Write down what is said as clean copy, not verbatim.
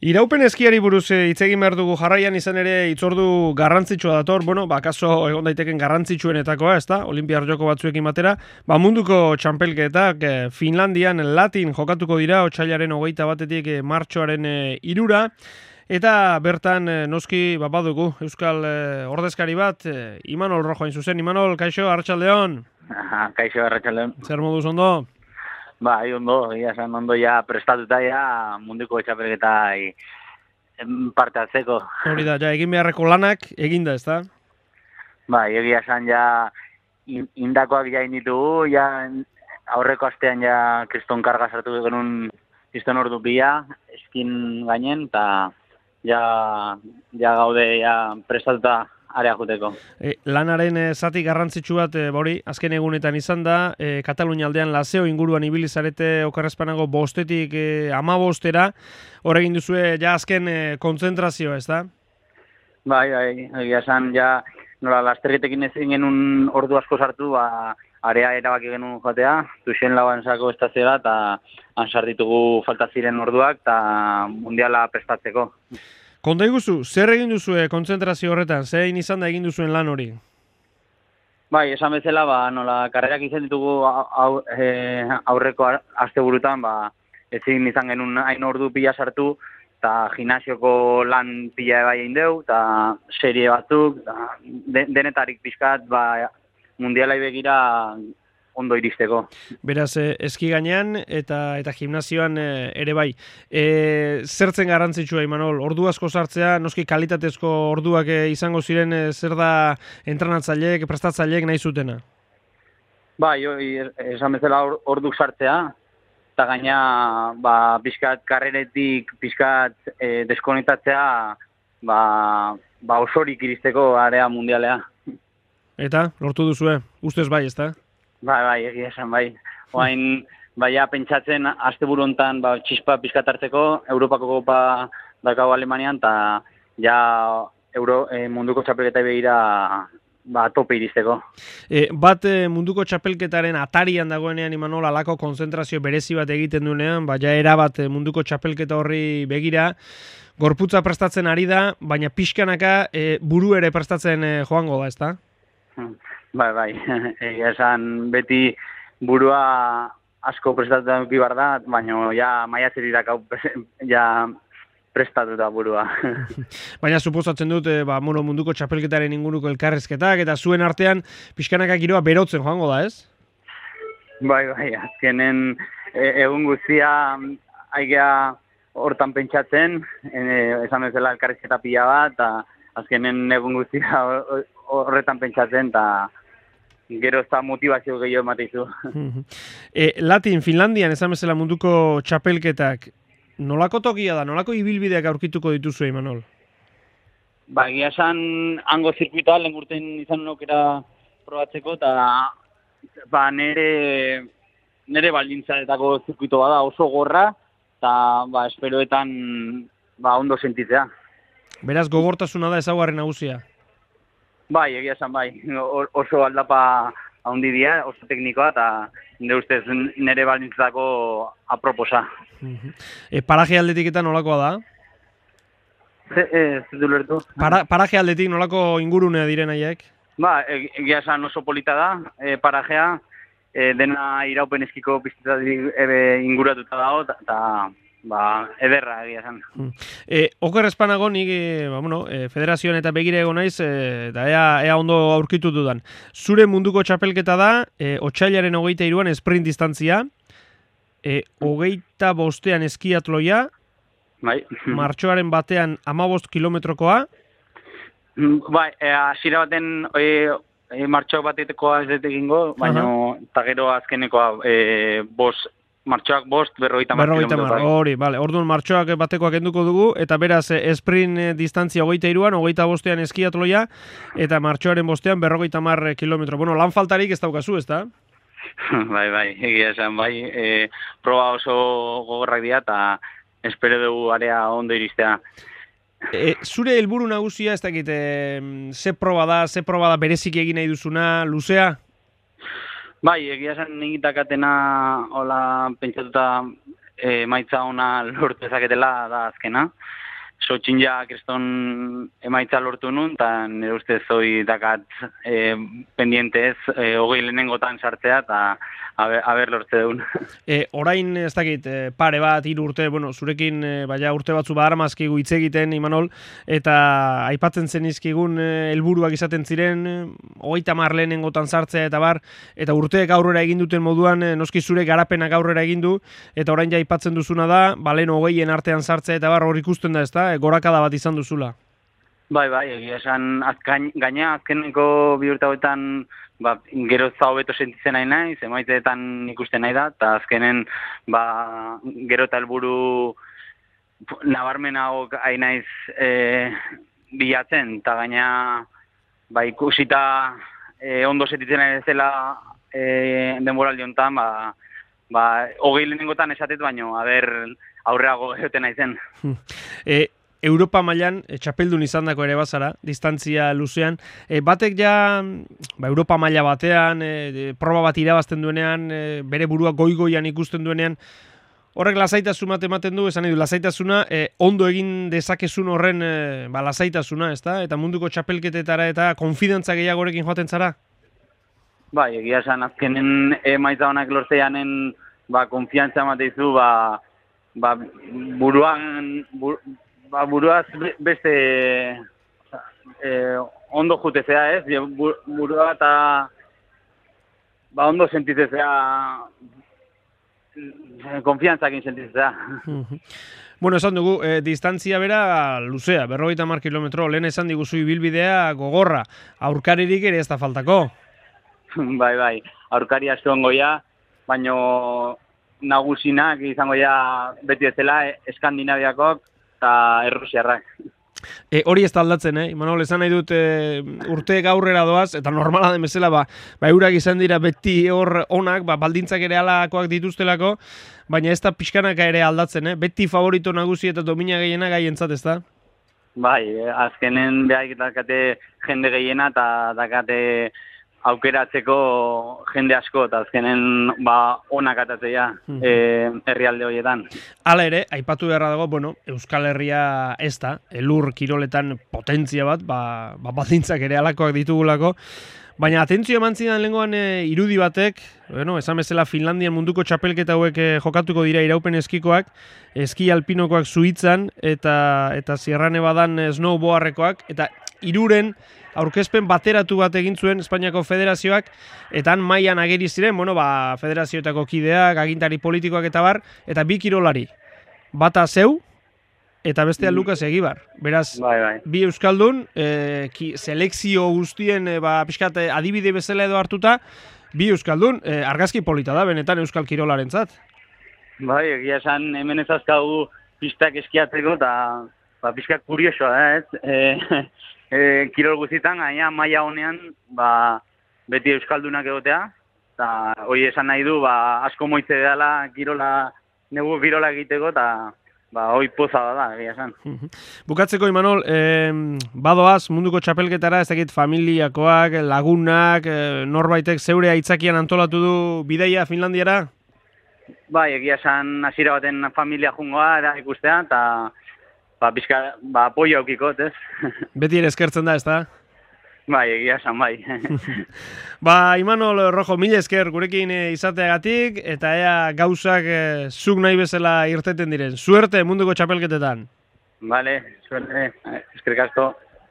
Iraupen eskiari buruz hitz egin behar dugu jarraian izan ere hitzordu garrantzitsua dator, kaso egon daiteken garrantzitsuenetakoa, ezta? Olinpiar joko batzuekin batera, munduko txampelketak Finlandian Latin jokatuko dira otsailaren 21 martxoaren 3 eta bertan noski badugu Euskal ordezkari bat, Imanol Rojo hain zuzen. Imanol, kaixo, arratsaldeon. Kaixo, arratsaldeon. Zer moduz ondo? Ondo, ondo ja prestatuta ja munduko txapelketa parte hartzeko. Hori da, ja egin beharreko lanak eginda, ezta? Egia esan ja indakoak ja inditugu, ja aurreko astean ja kriston karga sartu genuen kriston ordu pila, eskin gainen, eta ja gaude ja prestatuta area joteko. Lanaren zati garrantzitsu bat hori azken egunetan izan da, Katalunia aldean Laseo inguruan ibili zarete okerrezpanago 5-tik 15-era, hor egin duzue ja azken kontzentrazioa, ez da? Egia esan ja nola lasterketekin ezin genuen ordu asko sartu, area erabaki genuen joatea, Tuxen lauan sako estazioa, eta ansar ditugu falta ziren orduak, eta mundiala prestatzeko. Konta iguzu, zer egin duzue kontzentrazio horretan? Zein izan da egin duzuen lan hori? Esan bezala, nola karrerak izan ditugu aurreko asteburutan, ezin izan genuen hain ordu pila sartu, eta gimnasioko lan pila bai egin deu, eta serie batzuk, denetarik pixkat, mundialai begira ondo iristeko. Beraz, eski gainean eta gimnasioan ere bai. Zertzen garrantzitsua, Imanol? Ordu asko sartzea, noski kalitatezko orduak izango ziren, zer da entrenatzaileek, prestatzaileek nahi zutena? Esan bezala orduk sartzea, eta gaina pixkat karreretik, pixkat deskonektatzea, osorik iristeko area mundialea. Eta, lortu duzue, ustez bai, ezta? Egia esan, Oain, pentsatzen, asteburu hontan txispa pixkat hartzeko, Europako kopa dakau Alemanian, eta munduko txapelketa begira tope iristeko. Munduko txapelketaren atarian dagoenean, Imanol, alako konzentrazio berezi bat egiten duenean, erabat munduko txapelketa horri begira, gorputza prestatzen ari da, baina pixkanaka buru ere prestatzen joango da, ezta? Egia esan beti burua asko prestatuta duki bar da, baina maiatzerirak prestatuta burua. Baina suposatzen dut munduko txapelketaren inguruko elkarrezketak, eta zuen artean pixkanaka giroa berotzen joango da, ez? Azkenen egun guztia aigea hortan pentsatzen, esan bezala elkarrezketa pila bat, eta azkenen egun guztia horretan pentsatzen, eta gero ez da motivazio gehiago emateizu. Latin, Finlandian, esan bezala munduko txapelketak, nolako tokia da, nolako ibilbideak aurkituko dituzu, Imanol? Egia esan, hango zirkuitoa, lehen urten izan aukera probatzeko, eta nire baldintzaetako zirkuitoa da oso gorra, eta esperoetan ondo sentitzea. Beraz, gogortasuna da ezaugarri nagusia? Egia esan, oso aldapa handi dira, oso teknikoa, eta nire ustez nire baldintzatako aproposa. Paraje aldetik eta nolakoa da? Ez du lertu. Paraje aldetik nolako ingurunea diren haiek? Egia esan oso polita da, parajea, dena iraupen eskiko piztetatik inguratuta dago, eta ederra egia esan. Oker espanago nik federazioan eta begire egon naiz, eta ea ondo aurkitu dudan. Zure munduko txapelketa da, otsailaren 23an sprint distantzia, 25an eskiatloia, martxoaren batean 15 kilometrokoa. Hasiera baten martxoak batetekoa ez dut egingo, baina eta gero azkenekoa martxoak 5, 50 hori, orduan martxoak batekoak enduko dugu, eta beraz sprint distantzia 23an, 25an eskiatloia, eta martxoaren 5an 50 kilometro. Lan faltarik ez daukazu, ez da? Egia esan, proba oso gogorrak dira, eta espero dugu area ondo iristea. Zure helburu nagusia, ez dakit, ze proba da bereziki egin nahi duzuna, luzea? Egia esan egitakatena hola pentsatuta emaitza ona lortu ezaketela da azkena. Sotxin ja kriston emaitza lortu nun, eta nire ustez hoi dakat pendientez, hogei lehenengotan sartzea, eta haber lortze duen. Orain, ez dakit, pare bat, 3 urte, bueno, zurekin, baina urte batzu badaramazkigu hitz egiten, Imanol, eta aipatzen zenizkigun helburuak izaten ziren, 30 lehenengotan sartzea eta bar, eta urteek aurrera egin duten moduan, noski zure garapenak aurrera egin du, eta orain ja aipatzen duzuna da, lehen 20en artean sartzea eta bar, hor ikusten da, ezta? Gorakada bat izan duzula. Bai, egia esan, gaina azkeneko 2 urte hauetan gero hobeto sentitzen nahi naiz, emaiteetan ikusten nahi da, eta azkenen gero eta helburu nabarmenago hain naiz bilatzen, eta gaina ikusita ondo sentitzen nahi zela denboraldi honetan, 20 lehenengotan esatet baino, aurreago egoten naizen. Europa mailan txapeldun izandako ere bazara, distantzia luzean. Batek ja, Europa maila batean, proba bat irabazten duenean, bere burua goi-goian ikusten duenean, horrek lasaitasun bat ematen du, esan nahi du, lasaitasuna, ondo egin dezakezun horren lasaitasuna, ezta? Eta munduko txapelketetara eta konfidantza gehiagorekin joaten zara? Bai, egia esan azkenen emaitza honak lortzeanen konfiantza emateizu, buruaz beste ondo jutezea, ez? Burua eta ondo sentizezea, konfiantzakin sentizezea. Bueno, esan dugu, distantzia bera luzea, 50 kilometro, lehen esan diguzu ibilbidea gogorra, aurkaririk ere ez da faltako. Bai, aurkari asko ongoia, baina nagusinak izango ja beti ezela Eskandinaviakok eta Errusiarrak. Hori ez da aldatzen, Imanol, esan nahi dut urteek aurrera doaz, eta normala den bezala, eurak izan dira beti hor onak, baldintzak ere alakoak dituztelako, baina ez da pixkanaka ere aldatzen, beti favorito nagusi eta domina gehiena gaientzat, ez da? Bai, azkenen behar dakate jende gehiena eta dakate aukeratzeko jende asko, eta azkenen onak atatzea herrialde horietan. Hala ere, aipatu beharra dago, Euskal Herria ez da, elur kiroletan potentzia bat, baldintzak ere alakoak ditugulako, baina atentzio eman zidan lehengoan irudi batek, esan bezala Finlandian munduko txapelketa hauek jokatuko dira iraupen eskikoak, eski alpinokoak Suitzan, eta Sierra Nevadan snowboardekoak, eta hiruren aurkezpen bateratu bat egin zuen Espainiako Federazioak, eta han mailan ageri ziren, federazioetako kideak, agintari politikoak eta bar, eta 2 kirolari. Bata zeu, eta bestea Lukas Egibar. Beraz, bi euskaldun, selekzio guztien pixkat adibide bezala edo hartuta, bi euskaldun, argazki polita da, benetan euskal kirolarentzat. Bai, egia esan hemen ez azkagu pistak eskiatzeko, eta pixkat kuriosoa da, ez? Kirol guztietan, gaina maila honean beti euskaldunak egotea, eta hori esan nahi du asko moitze dela negu kirola egiteko, eta hori poza da, egia esan. Bukatzeko, Imanol, badoaz munduko txapelketara, ez dakit familiakoak, lagunak, norbaitek zeure aitzakian antolatu du bidaia Finlandiara? Bai, egia esan hasiera baten familia jungoa da ikustea, eta pixka, apoio aukikot, ez? Beti ere eskertzen da, ez da? Bai, egia esan, bai. Imanol Rojo, mila esker gurekin izateagatik, eta ea gauzak zuk nahi bezala irteten diren. Suerte munduko txapelketetan. Vale, suerte, eskerrik asko.